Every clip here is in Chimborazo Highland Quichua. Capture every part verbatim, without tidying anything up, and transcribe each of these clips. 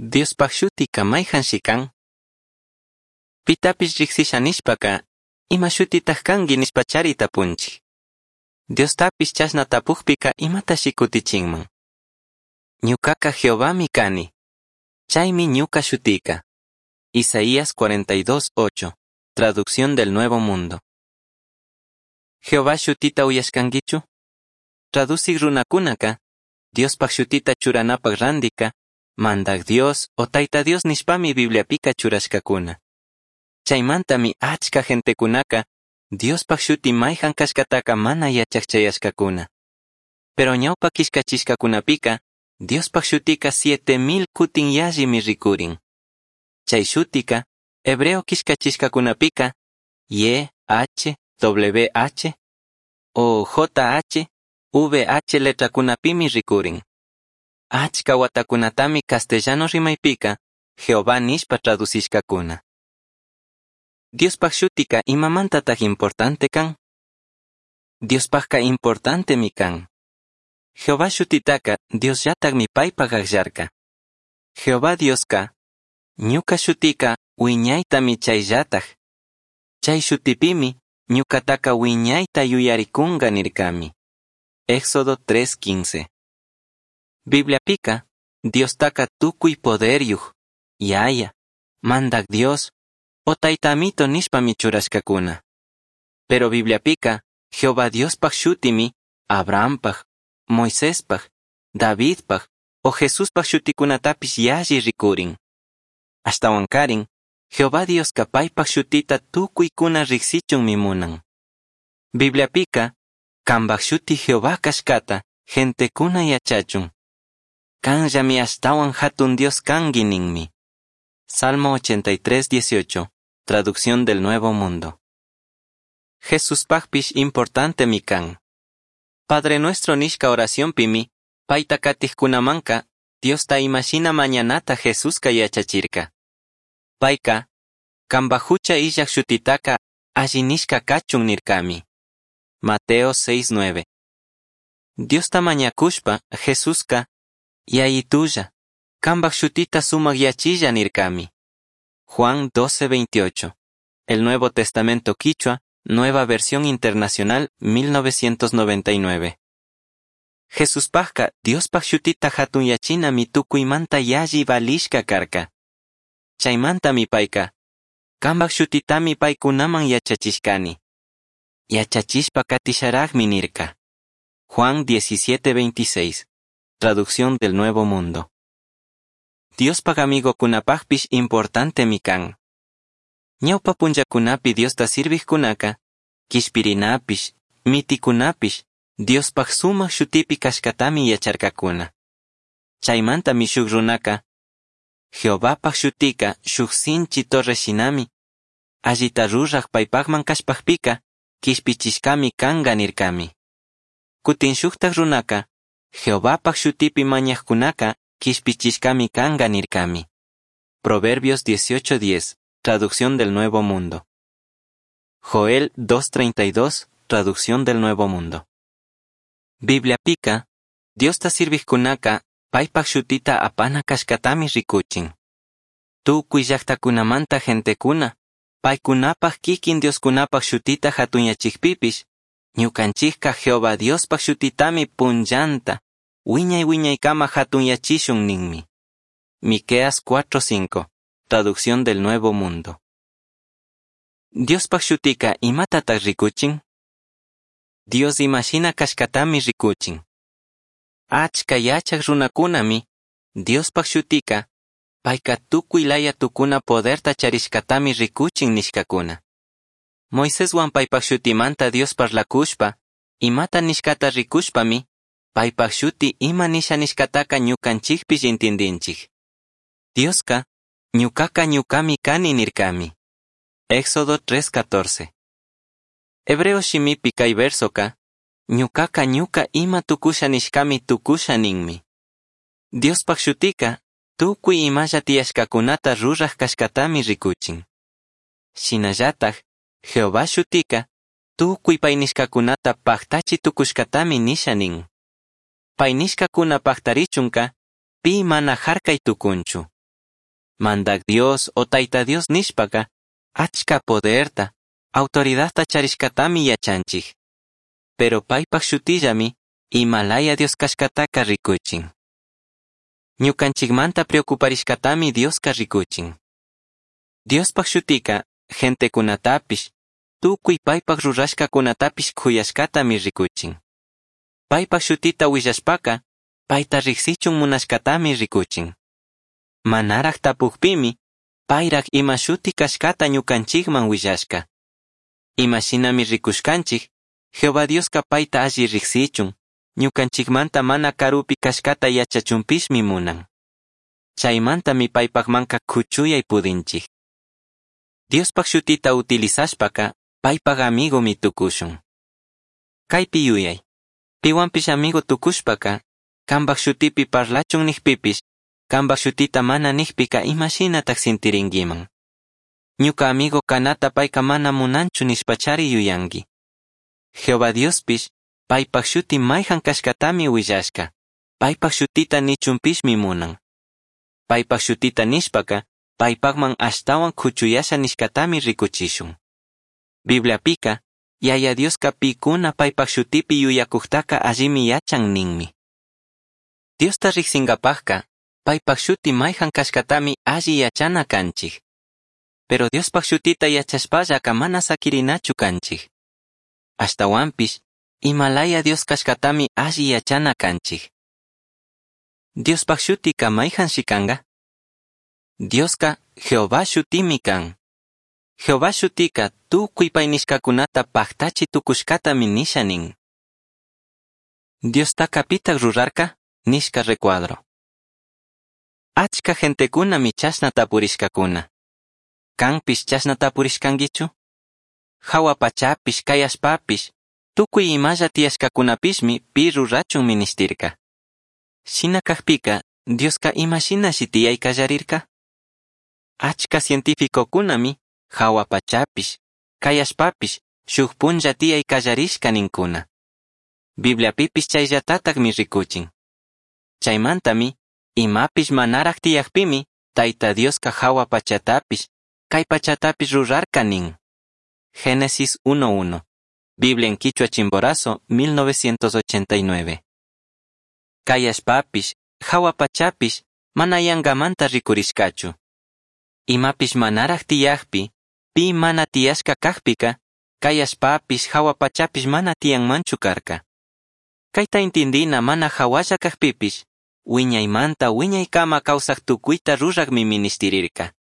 Diospaj shutica maijanshi can? Pitapish rijsisha nishpaca, ima shutitaj cangui nishpachari tapunchij. Diostapish chashna tapujpica imatashi cutichinman? Ñucaca Jehovami cani. Chaimi ñuca shutica. Isaías cuarenta y dos ocho. Traducción del Nuevo Mundo. Jehová shutita uyashcanguichu? Traducig runakunaka, Diospaj shutita churanapaj randika, Mandag Dios o Taita Dios nishpami Bibliapika churashkakuna. Chaymantami achka gentekunaka, Diospaj shuti mayhan kashkataka mana yachaq. Pero ñawpa killkachishkakunapika, Diospaj shutika siete mil kutin yallimi rikurin. Chay shutika, hebreo killkachishkakunapika, Y, H, W, H o J, H, V, H letrakunapimi rikurin. Achka watakunatami castellano rimaypika, Jehová nishpa traducishkakuna. Diospaj shutika imamantataj importante kan? Diospajka importantemi kan. Jehová shutitaka Diosllatakmi paypaj akllarka. Jehová Dioska, ñuka shutika wiñaytami chayllataj. Chay shutipimi ñukataka wiñayta yuyarikunga nirkami. Éxodo tres quince. Bibliapika, Diostaka tukuy poderyuj, Yaya, Mandak Dios, o Taytamito nishpami churashkakuna. Pero Bibliapika, Jehová Diospaj shutimi, Abrahampaj, Moisespaj, Davidpaj, o Jesuspaj shutikunatapish yalli rikurin. Ashtawankarin, Jehová Dioska paypaj shutita tukuykuna riksichunmi munan. Bibliapika, kambaj shuti Jehová kashkata, gentekuna yachachun. Kanllami ashtawan hatun Dios kangi ninmi. Salmo ochenta y tres, dieciocho, Traducción del Nuevo Mundo. Jesuspajpish importantemi kan. Padre Nuestro nishka oracionpimi, payta katijkunamanka, Diosta imashina mañanata Jesuska yachachirka. Payka, kambaj hucha illaj shutitaka alli nishka kachun nirkami. Mateo seis nueve. Diosta mañakushpa, Jesuska, Yayitulla, kambaj shutita sumak yachilla nirkami. Juan doce veintiocho. El Nuevo Testamento Quichua, Nueva Versión Internacional, mil novecientos noventa y nueve. Jesuspajka, Diospaj shutita hatun yachinami tukuymanta yalli valishka karka. Chaymantami payka, kambaj shutitami paykunaman yachachishkani. Yachachishpa katisharajmi nirka. Juan diecisiete veintiséis. Traducción del Nuevo Mundo. Diospaj amigokunapajpish importantemi kan. Ñawpa punllakunapi Diosta sirvijkunaka, kishpirinapish, mitikunapish, Diospaj sumak shutipi kashkatami yacharkakuna. Chaymantami shuk runaka, Jehovapaj shutika shuk sinchi torre shinami, allita ruraj paypajman kashpajpika, kishpichishkami kanga nirkami. Kutin shuktaj runaka, Jehovapaj shutipi mañajkunaka, kishpichishkami kanga nirkami. Proverbios dieciocho diez, Traducción del Nuevo Mundo. Joel dos treinta y dos, Traducción del Nuevo Mundo. Bibliapika, Diosta sirvijkunaka, paypaj shutita apana kashkatami rikuchin. Tukuy llaqtakunamanta gentekuna, paykunapaj kikin Dioskunapaj shutita hatunyachikpipish, ñukanchikka Jehová Diospaj shutitami punllanta, wiñay wiñaykama hatunyachishun ninmi. Miqueas cuatro cinco, Traducción del Nuevo Mundo. Diospaj shutika imatataq rikuchin? Dios imashina kashkatami rikuchin. Achka yachaq runakunami, Diospaj shutika, payka tukuy laya tukuna poderta charishkatami rikuchin nishkakuna. Moiseswan paypaj shutimanta Dios parlakushpa, imata nishkata rikushpami, paypaj shuti ima nisha nishkataka ñukanchikpish intindinchik. Dioska, ñukaka ñukami kani nirkami. Éxodo tres catorce. Hebreo shimipi kay versoka, ñukaka ñuka ima tukusha nishkami tukusha ninmi. Diospaj shutika, tukuy imalla tiyashkakunata ruraj kashkatami rikuchin. Shinallataj, Jehová shutika, tukuy pay nishkakunata paktachi tukushkatami nisha nin. Pay nishkakuna paktarichunka, pi mana harkay tukunchu. Mandaj Dios o Taita Dios nishpaca achca poderta, autoridadta charishcatami yachanchij. Pero paipaj shutillami ima laya Dios cashcataca ricuchin. Ñucanchijmanta preocuparishcatami Diosca ricuchin. Diospaj shutica gentecunatapish, tucui paipaj rurashcacunatapish c'uyashcatami ricuchin. Paipaj shutita huillashpaca, paita rijsichun munashcatami ricuchin. Manaraj tapujpimi, pairaj ima shuti cashcata ñucanchijman huillashca. Ima shinami ricushcanchij, Jehová Diosca paita alli rijsichun, ñucanchijmanta mana carupi cashcata yachachunpishmi munan. Chaimantami paipajmanca cuchuyai pudinchij. Diospaj shutita utilizashpaca, paipaj amigomi tucushun. Caipi yuyai. Pihuanpish amigo tucushpaca, cambaj shutipi parlachun nijpipish, cambaj shutita mana nijpica ima shinataj sintiringuiman. Ñuca amigo canata paica mana munanchu nishpachari yuyanqui. Jehová Diospish, paipaj shuti maijan cashcatami huillashca, paipaj shutita nichunpishmi munan. Paipaj shutita nishpaca, paipajman ashtahuan cuchuyasha nishcatami ricuchishun. Bibliapica, Yaya Diosca picuna paipaj shutipi yuyacujtaca allimi yachan ninmi. Diosta rijsingapajca, paipaj shuti maijan cashcatami alli yachana canchij. Pero Diospaj shutita yachashpallaca mana saquirinachu canchij. Ashtahuanpish, ima laya Dios cashcatami alli yachana canchij. Diospaj shutica maijanshi canga? Diosca Jehová shutimi can. Jehová shutica tucui pai nishcacunata pajtachi tucushcatami nisha nin. Diostaca pitaj rurarca? Nishca recuadro. Achca gentecunami chashna tapurishcacuna. Canpish chashna tapurishcanguichu? Jahua pachapish, cai allpapish, tucui imalla tiyashcacunapishmi pi rurachun minishtirca. Shina cajpica, Diosca ima shinashi tiyai callarirca? Achca cientificocunami jahua pachapish, cai allpapish, shuj punlla tiyai callarishca nincuna. Bibliapipish chayllatatajmi ricuchin. Chaimantami, imapish manaraj tiyajpimi, Taita Diosca jahua pachatapish, cai pachatapish rurarca nin. Génesis uno uno. Biblia en Quichua Chimborazo, mil novecientos ochenta y nueve. Cai allpapish, jahua pachapish, mana yangamanta ricurishcachu. Imapish manaraj tiyajpi, pi mana tiyashca cajpica, cai allpapish, jahua pachapish mana tiyanmanchu carca. Caita intindina mana jahualla cajpipish, wiñaymanta wiñaykama kawsaj tucuita rurajmi ministirirca.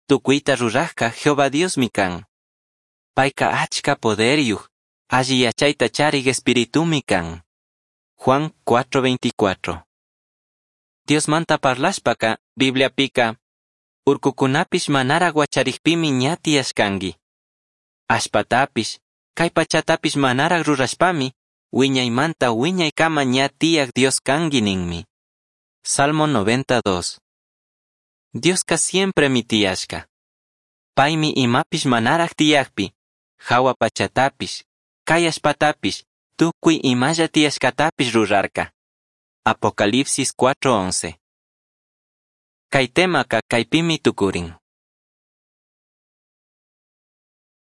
Tucuita rurajca Jehová Diosmi can. Paica achca poderyuj, alli yachayta charig espiritumi can. Juan cuatro veinticuatro. Diosmanta parlashpaca, Bibliapica, urcucunapish manaraj huacharigpimi ña tiyashcangui. Allpatapish, cai pachatapish manaraj rurashpami, wiñaymanta wiñaykama ña tiyaj Dios cangui ninmi. Salmo noventa dos. Diosca siempre mi tiyashca. Paimi imapish manaraj tiyajpi, jahua pachatapish, cai allpatapish, tucui imalla tiyashcatapish rurarca. Apocalipsis cuatro once. Cai temaca caipimi tucurin.